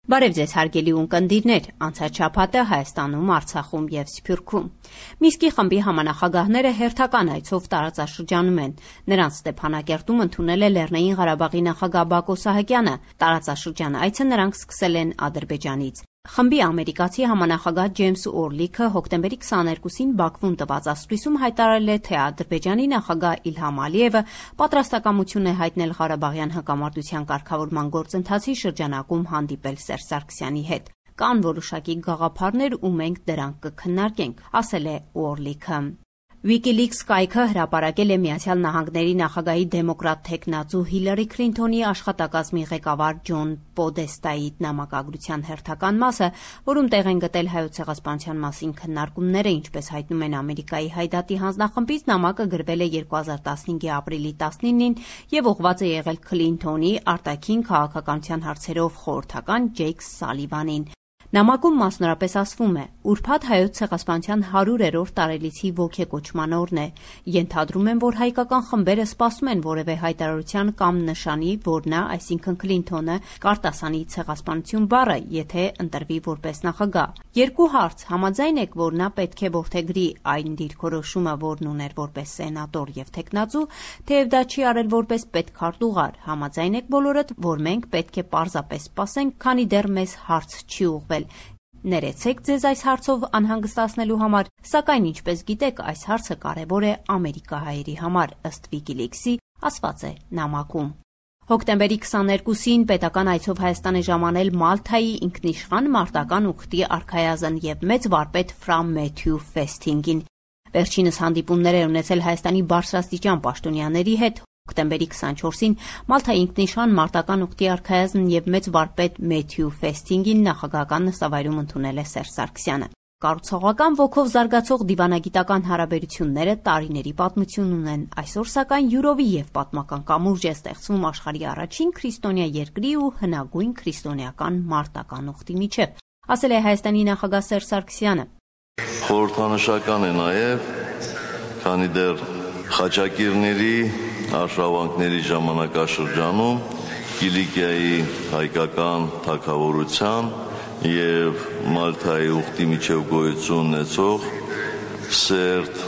Բարև ձեզ հարգելի ունկնդիրներ, անցած շաբաթը Հայաստանում, Արցախում եւ Սփյուռքում։ Միսկի խմբի համանախագահները հերթական այցով տարածաշրջանում են։ Նրանց Ստեփանակերտում ընդունել է Լեռնային Ղարաբաղի նախագահ Բակո Սահակյանը։ Տարածաշրջան այցը նրանք սկսել են Ադրբեջանից։ Խմբի ամերիկացի համանախագահ Ջեյմս Օրլիքը հոկտեմբերի 22-ին Բաքվում տված ասպրիսում հայտարարել է, թե Ադրբեջանի նախագահ Իլհամ Ալիևը պատրաստակամություն է հայտնել Ղարաբաղյան հակամարտության կարգավորման գործընթացի շրջանակում հանդիպել Սերժ Սարգսյանի հետ։ Կան որոշակի գաղափարներ ու մենք դրանք կքննարկենք, ասել է Օրլիքը։ WikiLeaks կայքը հրապարակել է Միացյալ Նահանգների նախագահի դեմոկրատ թեկնածու Հիլարի Քլինթոնի աշխատակազմի ղեկավար Ջոն Պոդեստայի նամակագրության հերթական մասը, որում տեղ են գտել Հայոց ցեղասպանության մասին քննարկումները, ինչպես հայտնում են Ամերիկայի Հայդատի հանձնախմբից, նամակը գրվել է 2015-ի ապրիլի 19-ին եւ ուղղված է եղել Քլինթոնի արտաքին քաղաքականության հարցերով խորհրդական Ջեյք Սալիվանին։ Նամակում մասնորապես ասվում է. ուրբաթ Հայոց ցեղասպանության 100-րդ տարելիցի ոգեկոչման օրն է։ Ենթադրում եմ, որ հայկական խմբերը սպասում են որևէ հայտարարության կամ նշանի, որ նա, այսինքն Քլինթոնը, կարտասանի ցեղասպանություն բառը, եթե ընտրվի որպես նախագահ։ Երկու հարց. համաձայն եք, որ նա պետք է որդեգրի այն դիրքորոշումը, որն ուներ որպես սենատոր եւ թեկնածու, թեև դա չի արել որպես պետքարտուղար։ Համաձայն եք բոլորդ, որ մենք պետք է պարզապես սպասենք, քանի դեռ մեզ հարց չի ուղղվել։ Ներեցեք ձեզ այս հարցով անհանգստացնելու համար, սակայն ինչպես գիտեք, այս հարցը կարևոր է ամերիկահայերի համար, ըստ WikiLeaks-ի, ասված է նամակում։ Հոկտեմբերի 22-ին պետական այցով Հայաստան է ժամանել Մալթայի ինքնիշխան մարտական ուխտի արքայազն եւ մեծ վարպետ Ֆրա Մեթյու Ֆեստինգին։ Վերջինս հանդիպումներ է ունեցել Հայաստանի բարձրաստիճան պաշտոնյաների հետ։ Հոկտեմբերի 24-ին Մալթայի ինքնիշխան մարտական ուխտի արքայազն եւ մեծ վարպետ Մեթյու Ֆեստինգին նախագահական նստավայրում ընդունել է Սերժ Սարգսյանը։ Կառուցողական ոգով զարգացող դիվանագիտական հարաբերությունները տարիների պատմություն ունեն։ Այսօր սակայն յուրովի եւ պատմական կամուրջ է ստեղծվում աշխարհի առաջին քրիստոնյա երկրի ու հնագույն քրիստոնեական մարտական ուխտի միջև, ասել է Հայաստանի նախագահ Սերժ Սարգսյանը։ Խորհրդանշական է նաեւ, քանի դեռ խաչակիրների արշավանքների ժամանակաշրջանում Կիլիկիայի հայկական թագավորության եւ Մալթայի ուխտի միջև գոյություն ունեցող սերտ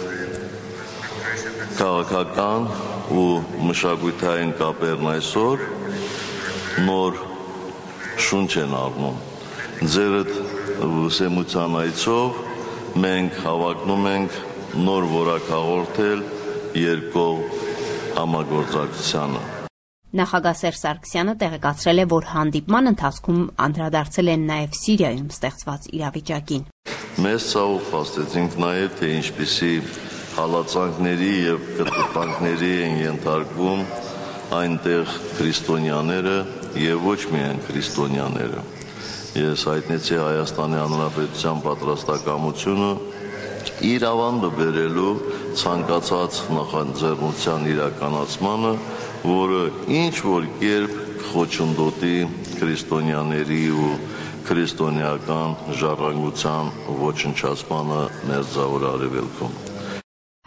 քաղաքական ու մշակութային կապերն այսօր նոր շունչ են առնում։ Ձերդ ուսեմության այցով մենք հավակնում ենք նոր որակ հաղորդել երկկողմ համագործակցությանը։ Նախագահ Սերժ Սարգսյանը տեղեկացրել է, որ հանդիպման ընթացքում անդրադարձել են նաև Սիրիայում ստեղծված իրավիճակին։ Մեզ ցավով փաստեցինք նաև, թե ինչպիսի հալածանքների եւ կտրտանքների են ենթարկվում այնտեղ քրիստոնյաները եւ ոչ միայն քրիստոնյաները։ Ես հայտնեցի Հայաստանի Հանրապետության պատրաստակամությունը իր ավանդը բերելու ցանկացած նախաձեռնության իրականացմանը, որը ինչ-որ կերպ խոչընդոտի քրիստոնյաների ու քրիստոնեական ժառանգության ոչնչացմանը Մերձավոր Արևելքում։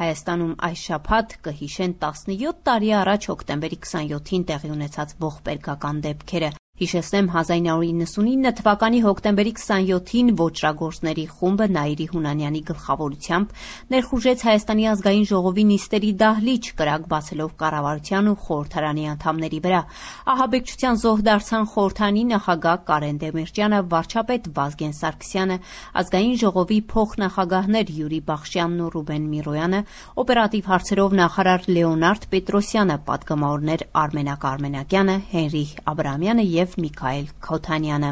Հայաստանում այս շաբաթ կհիշեն 17 տարի առաջ հոկտեմբերի 27-ին տեղի ունեցած ողբերգական դեպքերը։ Հիշեցնեմ 1999 թվականի հոկտեմբերի 27-ին ոճրագործների խումբը Նաիրի Հունանյանի գլխավորությամբ ներխուժեց Հայաստանի ազգային ժողովի նիստերի դահլիճ, կրակ բացելով կառավարության ու խորհրդարանի անդամների վրա։ Ահաբեկչության զոհ դարձան խորհրդանի նախագահ Կարեն Դեմիրճյանը, վարչապետ Վազգեն Սարգսյանը, ազգային ժողովի փոխնախագահներ Յուրի Բախշյանն ու Ռուբեն Միրոյանը, օպերատիվ հարցերով նախարար Լեոնարդ Պետրոսյանը, պատգամավորներ Արմենակ Արմենակյանը, Հենրիհ Աբրահամյանը եւ Միքայել Քոթանյանը։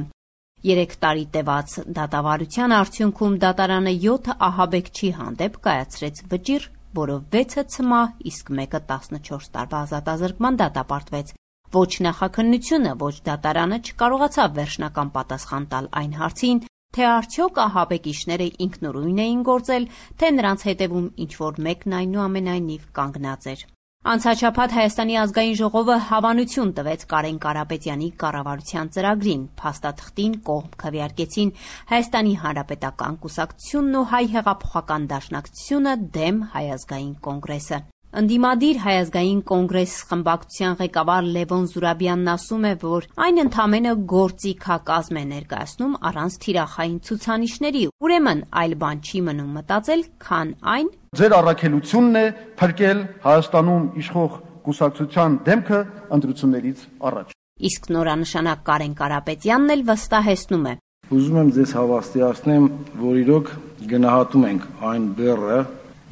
3 տարի տևած դատավարության արդյունքում դատարանը 7 ահաբեկչի հանդեպ կայացրեց վճիռ, որով 6-ը ցմահ, իսկ 1-ը 14 տարվա ազատազրկման դատապարտվեց։ Ոչ նախաքննությունը, ոչ դատարանը չկարողացավ վերջնական պատասխան տալ այն հարցին, թե արդյոք ահաբեկիչները ինքնուրույն էին գործել, թե նրանց հետևում ինչ-որ մեկն այնուամենայնիվ կանգնած էր։ Անցած շաբաթ Հայաստանի ազգային ժողովը հավանություն տվեց Կարեն Կարապետյանի կառավարության ծրագրին, փաստաթղթին կողմ քվեարկեցին Հայաստանի Հանրապետական կուսակցությունն ու Հայ հեղափոխական դաշնակցությունը դեմ Հայ ազգային կոնգրեսը։ Ընդդիմադիր Հայազգային կոնգրես խմբակցության ղեկավար Լևոն Զուրաբյանն ասում է, որ այն ընդամենը գործիքակազմ է ներկայացնում առանց թիրախային ցուցանիշների, ուրեմն այլ բան չի մնում մտածել, քան այն. Ձեր առաքելությունն է փրկել Հայաստանում իշխող կուսակցության դեմքը ընտրություններից առաջ։ Իսկ նորանշանակ Կարեն Կարապետյանն էլ վստահեցնում է. Ուզում եմ ձեզ հավաստիացնեմ, որ իրոք գնահատում ենք այն բեռը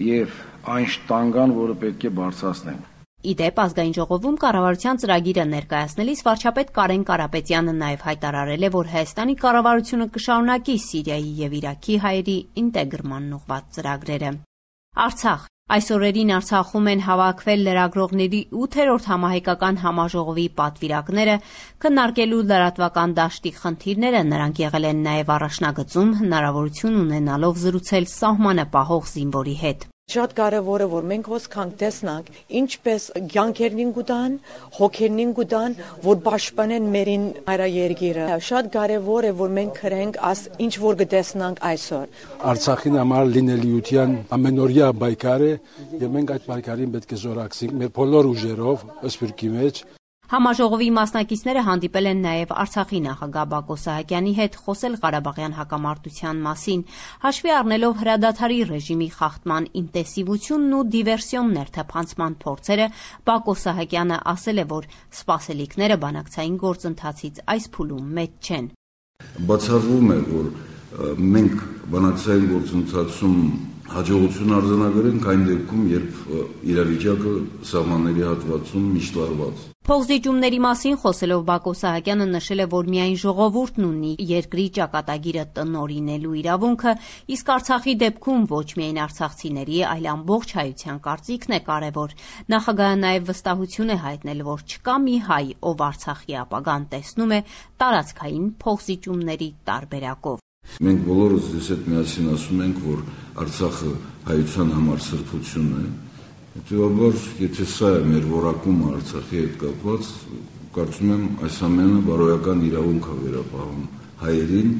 եւ այն շտանգան, որը պետք է բարձրացնենք։ Իդեպ ազգային ժողովում կառավարության ծրագիրը ներկայացնելիս վարչապետ Կարեն Կարապետյանը նաև հայտարարել է, որ Հայաստանի կառավարությունը կշարունակի Սիրիայի եւ Իրաքի հայերի ինտեգրմանն ուղղված ծրագրերը։ Արցախ։ Այս օրերին Արցախում են հավաքվել լրագրողների 8-րդ համահայկական համաժողովի պատվիրակները, քննարկելու լրատվական դաշտի խնդիրները, նրանք եղել են նաև առաջնագծում, հնարավորություն ունենալով զրուցել սահմանը պահող զինվորի հետ։ Շատ կարևոր է, որ մենք հոսքանք տեսնանք, ինչպես կյանքերին գուտան, հոգերին գուտան, որ պաշտպանեն մերին հայրայերգիրը։ Շատ կարևոր է, որ մենք քրենք աս ինչ որ կտեսնանք այսօր։ Արցախին համար լինելիության ամենօրյա պայքար է, եւ մենք այդ պայքարին պետք է զորակցենք մեր բոլոր ուժերով, ըսպիրկի մեջ։ Համաժողովի մասնակիցները հանդիպել են նաև Արցախի նախագահ Բակո Սահակյանի հետ, խոսել Ղարաբաղյան հակամարտության մասին, հաշվի առնելով հրադադարի ռեժիմի խախտման ինտենսիվությունն ու դիվերսիոն թափանցման փորձերը, Բակո Սահակյանը ասել է, որ սպասելիքները բանակցային գործընթացից այս փուլում մեծ չեն։ Բացառվում է, որ մենք բանակցային գործընթացում հաջողություն արձանագրենք այն դեպքում, երբ իրավիճակը սահմանների հատվածում միշտ լարված։ Փոխզիջումների մասին խոսելով Բակո Սահակյանը նշել է, որ միայն ժողովուրդն ունի երկրի ճակատագիրը տնօրինելու իրավունքը, իսկ Արցախի դեպքում ոչ միայն արցախցիների, այլ ամբողջ հայության կարծիքն է կարևոր։ Նախագահը նաև վստահություն է հայտնել, որ չկա մի հայ, ով Արցախի ապագան տեսնում է տարածքային փոխզիջումների տարբերակով։ Մենք բոլորս ձեզ հետ միասին ասում ենք, որ Արցախը հայության համար սրբություն է։ Հետևաբար, եթե սա է մեր որակումը Արցախի հետ կապված, կարծում եմ այս ամենը բարոյական իրավունք է վերապահում հայերին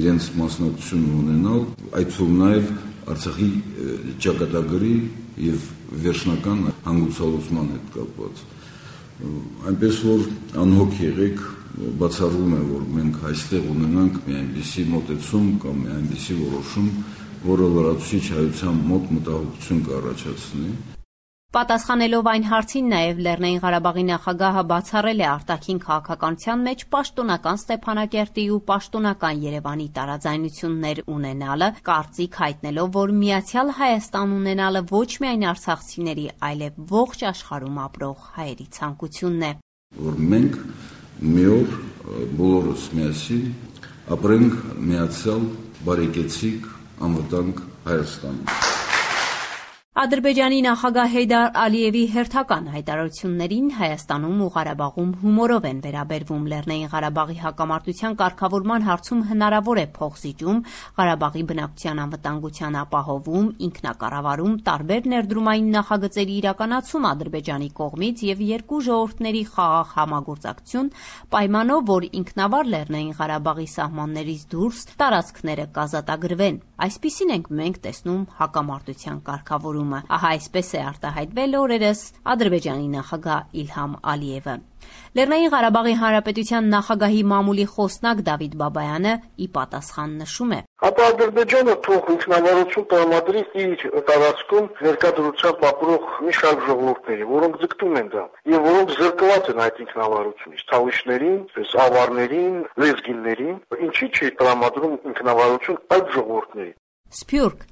իրենց մասնակցություն ունենալ, այդ թվում նաև Արցախի ճակատագրի եւ վերջնական հանգուցալուծման հետ կապված։ Այնպես որ անհոգ եղեք, բացառվում է, որ մենք այստեղ ունենանք մի այնպիսի մոտեցում կամ մի այնպիսի որոշում, որը լրացուցիչ հայության մոտ մտահոգություն կառաջացնի։ Պատասխանելով այն հարցին նաև Լեռնային Ղարաբաղի նախագահը բացառել է արտաքին քաղաքականության մեջ պաշտոնական Ստեփանակերտի ու պաշտոնական Երևանի տարաձայնություններ ունենալը, կարծիք հայտնելով, որ Միացյալ Հայաստան ունենալը ոչ միայն արցախցիների, այլև ողջ աշխարհում ապրող հայերի ցանկությունն է։ Որ մենք մի օր բոլորս միասին ապրենք միացյալ, բարեկեցիկ, անվտանգ Հայաստանում։ Ադրբեջանի նախագահ Հեյդար Ալիևի հերթական հայտարարություններին Հայաստանում ու Ղարաբաղում հումորով են վերաբերվում։ Լեռնային Ղարաբաղի հակամարտության կարգավորման հարցում հնարավոր է փոխզիջում, Ղարաբաղի բնակչության անվտանգության ապահովում, ինքնակառավարում, տարբեր ներդրումային նախագծերի իրականացում Ադրբեջանի կողմից եւ երկու ժողովուրդների խաղաղ համագործակցություն, պայմանով, որ ինքնավար Լեռնային Ղարաբաղի սահմաններից դուրս տարածքները կազատագրվեն։ Այսպիսին ենք մենք տեսնում հակամարտության կարգավորումը։ Ահա այսպես է արտահայտվել օրերս Ադրբեջանի նախագահ Իլհամ Ալիևը։ Լեռնային Ղարաբաղի Հանրապետության նախագահի մամուլի խոսնակ Դավիթ Բաբայանը ի պատասխան նշում է. Ապա Ադրբեջանը թող ինքնավարություն տրամադրի իր տարածքում ներկայությամբ ապրող մի շարք ժողովուրդների, որոնք ձգտում են դա եւ որոնք զրկված են այդ ինքնավարությունից, թավիշներին, ավարներին, լեզգիններին, ինչի՞ չի տրամադրում ինքնավարություն այդ ժողովուրդներին։ Սփյուռք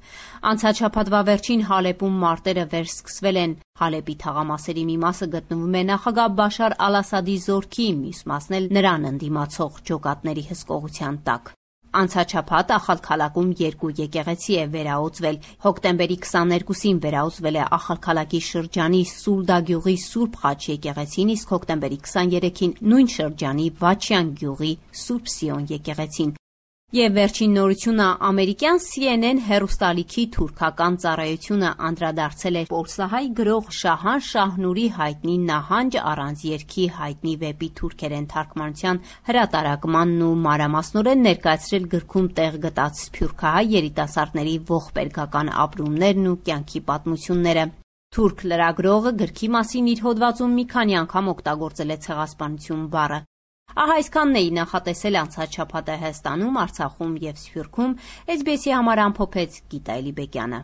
անցած շաբաթվա վերջին Հալեպում մարտերը վերսկսվել են։ Հալեպի թաղամասերի մի մասը գտնվում է նախագահ Բաշար Ալ-Ասադի զորքի, մյուս մասն էլ նրան ընդդիմացող ջոկատների հսկողության տակ։ Անցած շաբաթ Ախալքալաքում երկու եկեղեցի է վերահոսվել։ Հոկտեմբերի 22-ին վերահոսվել է Ախալքալակի շրջանի Սուլդա գյուղի Սուրբ Խաչ եկեղեցին, իսկ հոկտեմբերի 23-ին նույն շրջանի Վաչյան գյուղի Սուրբ Սիոն եկեղեցին։ Եվ վերջին նորությունը ամերիկյան CNN հեռուստալիքի թուրքական ծառայությունը անդրադարձել է պոլսահայ գրող Շահան Շահնուրի հայտնի Նահանջ առանց երգի հայտնի վեպի թուրքերեն թարգմանության հրատարակմանն ու մանրամասնորեն ներկայացրել գրքում տեղ գտած սփյուռքահայ երիտասարդների ողբերգական ապրումներն ու կյանքի պատմությունները։ Թուրք լրագրողը գրքի մասին իր հոդվածում մի քանի անգամ օգտագործել է ցեղասպանություն բառը։ Ահա այսքանն էի նախատեսել անցած շաբաթ Հայաստանում, Արցախում եւ Սփյուռքում, SBS-ի համար ամփոփեց Գիտա Էլիբեկյանը։